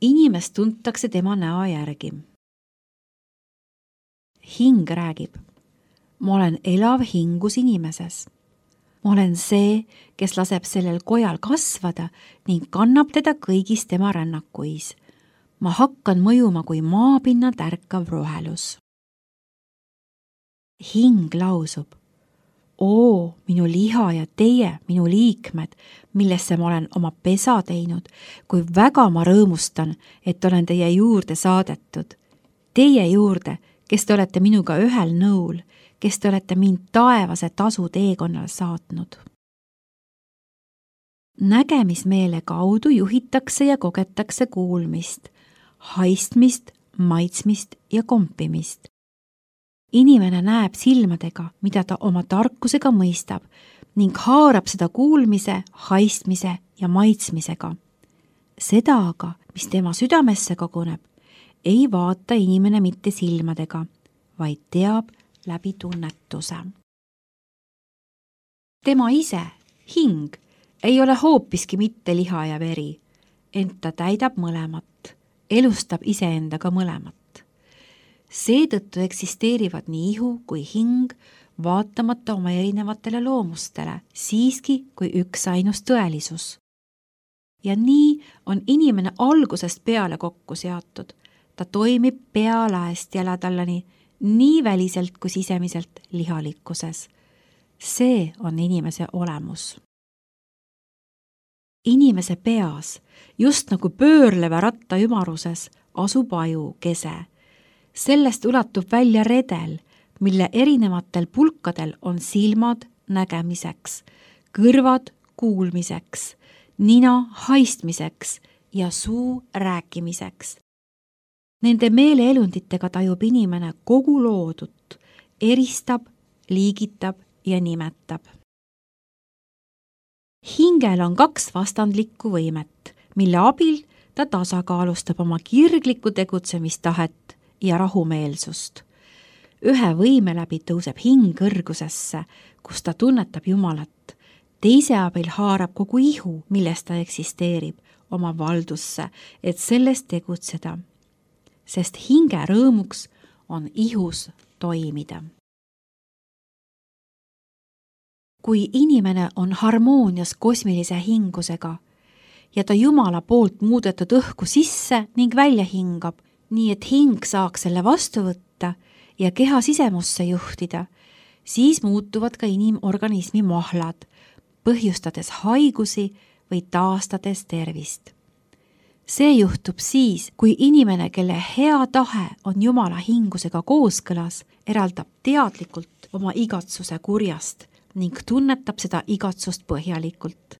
Inimest tuntakse tema näo järgi. Hing räägib. Ma olen elav hingus inimeses. Ma olen see, kes laseb sellel kojal kasvada ning kannab teda kõigis tema rännakuis. Ma hakkan mõjuma kui maapinna tärkav rohelus. Hing lausub. Oo, minu liha ja teie, minu liikmed, millesse ma olen oma pesa teinud, kui väga ma rõõmustan, et olen teie juurde saadetud. Teie juurde, kes te olete minuga ühel nõul, kes te olete mind taevase tasu teekonnal saatnud. Nägemismeele kaudu juhitakse ja kogetakse kuulmist, haistmist, maitsmist ja kompimist. Inimene näeb silmadega, mida ta oma tarkusega mõistab ning haarab seda kuulmise, haistmise ja maitsmisega. Seda aga, mis tema südamesse koguneb, ei vaata inimene mitte silmadega, vaid teab läbi tunnetuse. Tema ise, hing, ei ole hoopiski mitte liha ja veri, ent ta täidab mõlemat, elustab iseendaga mõlemat. Seetõttu eksisteerivad nii ihu kui hing, vaatamata oma erinevatele loomustele, siiski kui üks ainus tõelisus. Ja nii on inimene algusest peale kokku seatud. Ta toimib pealaest jäledallani, nii väliselt kui sisemiselt lihalikkuses. See on inimese olemus. Inimese peas, just nagu pöörleva ratta ümaruses, asub aju kese. Sellest ulatub välja redel, mille erinevatel pulkadel on silmad nägemiseks, kõrvad kuulmiseks, nina haistmiseks ja suu rääkimiseks. Nende meeleelunditega tajub inimene kogu loodut, eristab, liigitab ja nimetab. Hingel on 2 vastandlikku võimet, mille abil ta tasakaalustab oma kirglikku tegutsemistahet ja rahumeelsust. Ühe võime läbi tõuseb hing kõrgusesse, kus ta tunnetab Jumalat. Teise abil haarab kogu ihu, milles ta eksisteerib, oma valdusse, et sellest tegutseda. Sest hinge rõõmuks on ihus toimida. Kui inimene on harmoonias kosmilise hingusega ja ta Jumala poolt muudetud õhku sisse ning välja hingab, nii et hing saaks selle vastu võtta ja keha sisemusse juhtida, siis muutuvad ka inimorganismi mahlad, põhjustades haigusi või taastades tervist. See juhtub siis, kui inimene, kelle hea tahe on Jumala hingusega kooskõlas, eraldab teadlikult oma igatsuse kurjast ning tunnetab seda igatsust põhjalikult.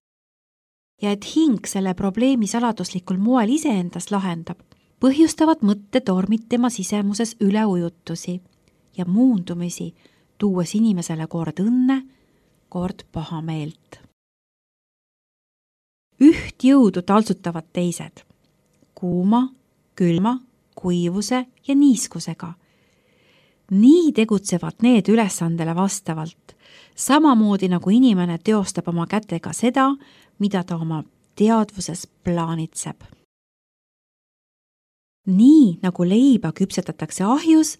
Ja et hing selle probleemi saladuslikul moel iseendas lahendab, põhjustavad mõttetormid tema sisemuses üleujutusi ja muundumisi, tuues inimesele kord õnne, kord pahameelt. Üht jõudu taltsutavad teised, kuuma, külma, kuivuse ja niiskusega. Nii tegutsevad need ülesandele vastavalt, samamoodi nagu inimene teostab oma kätega seda, mida ta oma teadvuses plaanitseb. Nii nagu leiba küpsetatakse ahjus,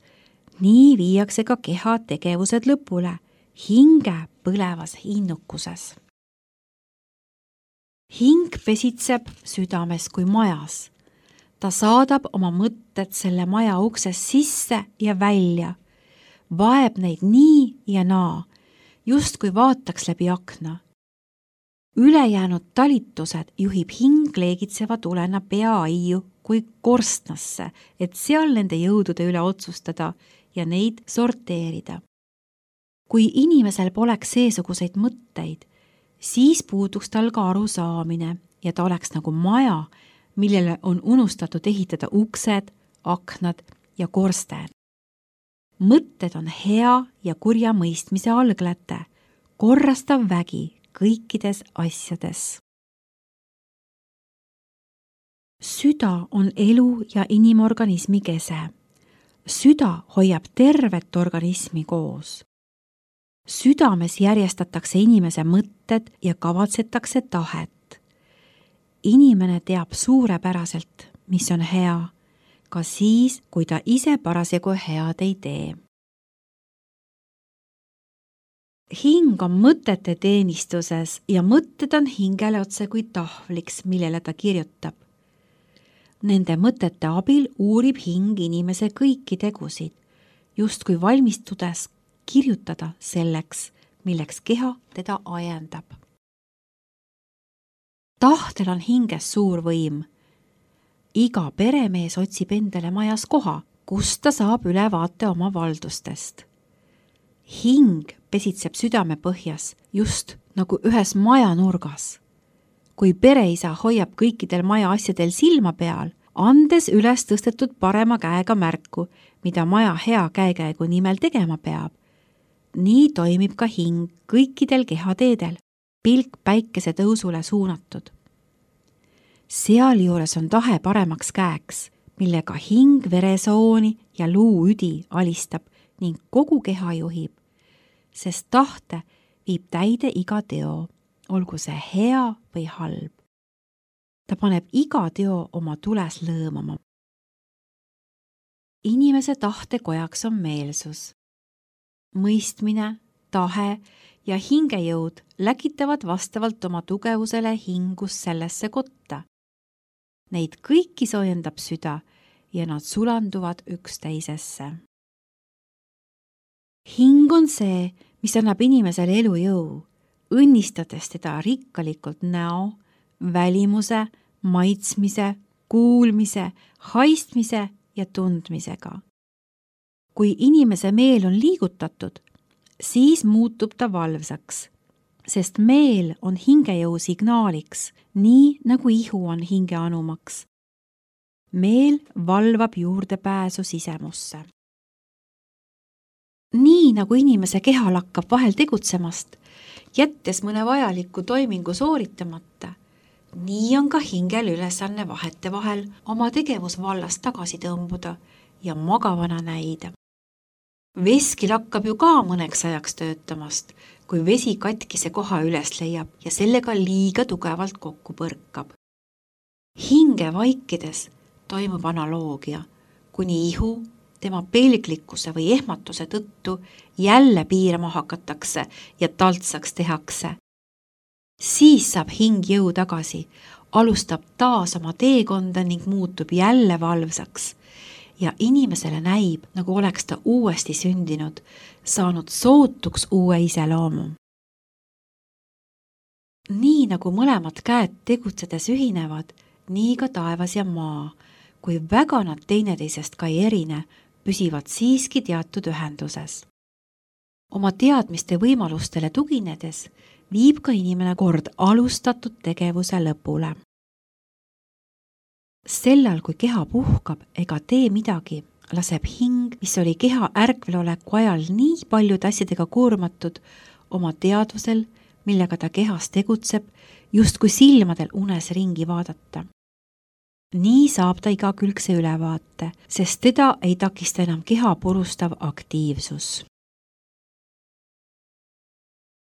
nii viiakse ka keha tegevused lõpule, hinge põlevas innukuses. Hing pesitseb südames kui majas. Ta saadab oma mõtted selle maja uksest sisse ja välja, vaeb neid nii ja naa, just kui vaataks läbi akna. Ülejäänud talitused juhib hing leegitseva tulena peaaiu kui korstnasse, et seal nende jõudude üle otsustada ja neid sorteerida. Kui inimesel poleks seesuguseid mõtteid, siis puuduks tal ka arusaamine ja ta oleks nagu maja, millele on unustatud ehitada uksed, aknad ja korsted. Mõtted on hea ja kurja mõistmise algläte, korrastav vägi kõikides asjades. Süda on elu ja inimorganismi kese. Süda hoiab tervet organismi koos. Südames järjestatakse inimese mõtted ja kavatsetakse tahet. Inimene teab suurepäraselt, mis on hea, ka siis, kui ta ise parasjagu head ei tee. Hing on mõtete teenistuses ja mõtted on hingele otse kui tahvliks, millele ta kirjutab. Nende mõtete abil uurib hing inimese kõiki tegusid, justkui valmistudes kirjutada selleks, milleks keha teda ajendab. Tahtel on hinges suur võim. Iga peremees otsib endale majas koha, kust ta saab ülevaate oma valdustest. Hing pesitseb südame põhjas, just nagu ühes maja nurgas. Kui pereisa hoiab kõikidel maja asjadel silma peal, andes üles tõstetud parema käega märku, mida maja hea käekäigu nimel tegema peab, nii toimib ka hing kõikidel kehateedel, pilk päikese tõusule suunatud. Sealjuures on tahe paremaks käeks, millega hing veresooni ja luuüdi alistab ning kogu keha juhib, sest tahte viib täide iga teo, olgu see hea või halb. Ta paneb iga teo oma tules lõõmama. Inimese tahtekojaks on meelsus. Mõistmine, tahe ja hingejõud läkitavad vastavalt oma tugevusele hingus sellesse kotta. Neid kõiki soojendab süda ja nad sulanduvad üksteisesse. Hing on see, mis annab inimesele elujõu, õnnistades teda rikkalikult näo, välimuse, maitsmise, kuulmise, haistmise ja tundmisega. Kui inimese meel on liigutatud, siis muutub ta valvsaks, sest meel on hingejõu signaaliks, nii nagu ihu on hinge anumaks. Meel valvab juurdepääsu sisemusse. Nii nagu inimese keha lakkab vahel tegutsemast, jättes mõne vajaliku toimingu sooritamata, nii on ka hingel ülesanne vahete vahel oma tegevusvallast tagasi tõmbuda ja magavana näida. Veski lakkab ju ka mõneks ajaks töötamast, kui vesi katkise koha üles leiab ja sellega liiga tugevalt kokku põrkab. Hinge vaikides toimub analoogia, kuni ihu tema pelglikkuse või ehmatuse tõttu jälle piirama hakatakse ja taltsaks tehakse. Siis saab hing jõu tagasi, alustab taas oma teekonda ning muutub jälle valvsaks ja inimesele näib, nagu oleks ta uuesti sündinud, saanud sootuks uue iseloomu. Nii nagu mõlemad käed tegutsedes ühinevad, nii ka taevas ja maa, kui väga nad teineteisest ka ei erine, püsivad siiski teatud ühenduses. Oma teadmiste võimalustele tuginedes viib ka inimene kord alustatud tegevuse lõpule. Sellal, kui keha puhkab ega tee midagi, laseb hing, mis oli keha ärkveloleku ajal nii paljude asjadega koormatud, oma teadvusel, millega ta kehas tegutseb, justkui silmadel unes ringi vaadata. Nii saab ta igakülgse ülevaate, sest teda ei takista enam keha purustav aktiivsus.